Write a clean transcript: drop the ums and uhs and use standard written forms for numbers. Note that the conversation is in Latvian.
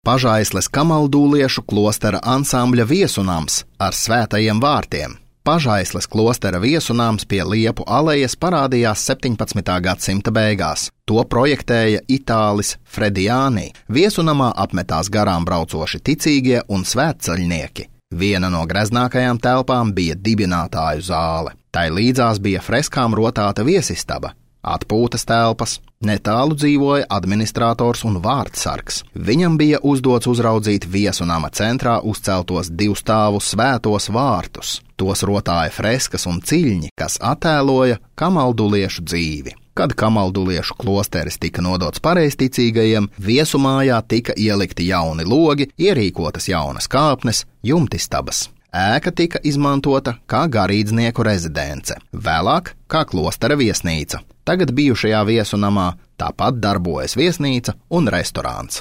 Pažaisles kamaldūliešu klostera ansambļa viesunams ar svētajiem vārtiem. Pažaisles klostera viesunams pie Liepu alejas parādījās 17. gadsimta beigās. To projektēja itālis Frediani. Viesunamā apmetās garām braucoši ticīgie un svētceļnieki. Viena no greznākajām telpām bija dibinātāju zāle. Tai līdzās bija freskām rotāta viesistaba, atpūtas telpas, netālu dzīvoja administrators un vārtsargs. Viņam bija uzdots uzraudzīt viesunama centrā uzceltos 2 stāvu svētos vārtus. Tos rotāja freskas un ciļņi, kas attēloja kamalduliešu dzīvi. Kad kamalduliešu klosteris tika nodots pareizticīgajiem, viesumājā tika ielikti jauni logi, ierīkotas jaunas kāpnes, jumtistabas. Ēka tika izmantota kā garīdznieku rezidence, vēlāk kā klostera viesnīca. Tagad bijušajā viesunamā tāpat darbojas viesnīca un restorāns.